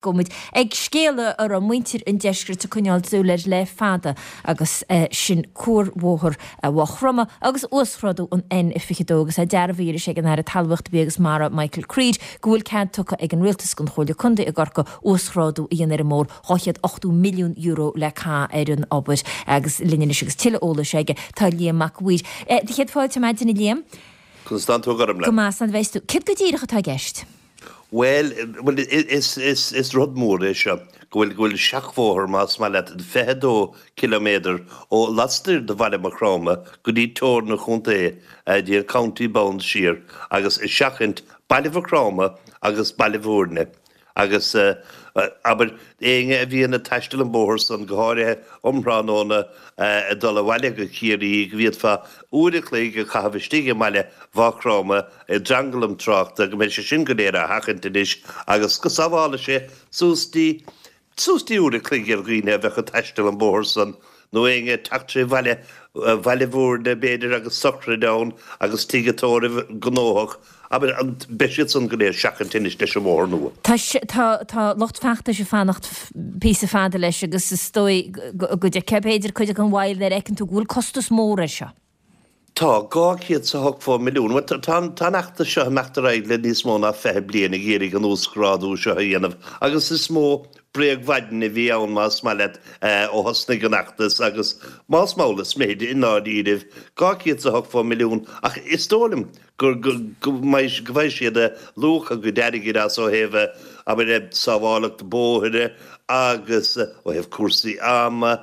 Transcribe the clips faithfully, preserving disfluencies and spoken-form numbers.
Go muid ag scéala a raibh muintir an deiscirt ag coinneáil súil air le fada agus sin cuarbhóthar Mhaigh Chromtha agus uasghrádú an N fiche dó agus é dearbhaithe arís ag an Aire Talmhaíochta Bia agus Mara Michael Creed go bhfuil cead tugtha ag an Rialtas don Chomhairle Contae i gCorcaigh uasghrádú a dhéanamh ar an mbóthar dhá chéad ochtó milliún euro le caitheamh ar an obair agus linn anois agus tuilleadh eolais aige tá Liam Mac a' Mhaoir. Do chéad fáilte ar maidin a Liam. Conas tánn tú a Ghormfhlaith? Go maith, slán a bheas tú. Céard go díreach atá i gceist? Bhuel, bhuel, is, is, is rud mór é seo, go bhfuil, go bhfuil seachbhóthar, más maith leat, fiche dó ciliméadar ó laistiar de bhaile Mhaigh Chromtha go dtí teorainn an chontae, dtí an county bounds siar, agus ag seachaint baile Mhaigh Chromtha agus Baile Bhúirne. Agus, abair, éinne a bhíonn ag taisteal an bóthar san, go háirithe um thráthnóna, ag dul abhaile go Ciarraí, go bhféadfá uair a chloig a chaitheamh istigh i mbaile Mhaigh Chromtha i dtranglam tráchta, go mbeidh sé sin go léir á sheachaint anois agus go sábhálfaidh sé suas dtí, suas dtí uair a chloig ar dhaoine a bheadh ag taisteal an bóthar san. Nó éinne ag teacht tré bhaile, Bhaile Bhúirne, b'fhéidir, agus sochraid ann agus tigh an tórraimh gnóthach, abair, beidh siad san go léir seachanta anois leis an mbóthar nua. Tá, tá, tá lucht feachtais ag fanacht píosa fada leis agus is dóigh go dtiocfaidh, b'fhéidir, cuid den mhoill nuair a fheiceann tú go bhfuil costas mór air seo. Tá, dhá chéad 's a hochtó milliún. Bhuel, tá an feachtas seo ag imeacht ar aghaidh le níos mó ná fiche bliain ag iarraidh an uasghrádú seo a dhéanamh agus is mó bréagmhaidin a bhí ann, más maith leat, ó thosnaigh an fheachtas agus más mall is mithid i ndáiríribh, dhá chéad 's a hochtó milliún ach is dóigh liom go go mbeidh go bhfaighidh siad luach a gcuid airgid as ó thaobh, abair, sábhálacht bóithre agus ó thaobh cúrsaí ama,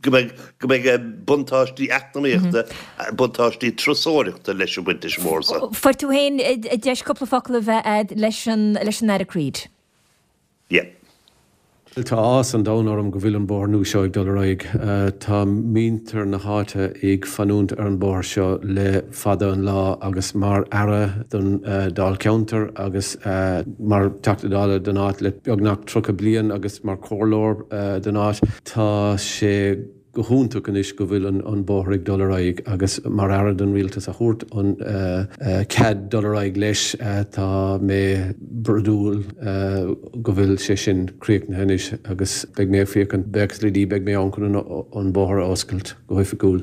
go mbeidh go mbeidh buntáistí eacnamaíochta, buntáistí turasóireachta leis an bpointe mór seo. Fuair tú féin deis cúpla focal a bheith a'd leis an leis an Aire Creed? Yeah. Tá áthas an domhain orm go bhfuil an bóthar nua seo ag dul ar aghaidh. Tá muintir na háite ag fanúint ar an bóthar seo le fada an lá agus mar Aire don Dáilcheantar agus mar Teachta Dála don áit le beagnach tríocha bliain agus mar chomhairleoir don áit, tá sé go hiontach anois go bhfuil an bóthar ag dul ar aghaidh agus mar Aire don Rialtas a thabhairt an cead dul ar aghaidh leis, tá mé brodúil go bhfuil sé sin críochnaithe anois agus beidh mé ag féachaint, buíochas le Dia, beidh mé ann chun an bóthar a oscailt go hoifigiúil.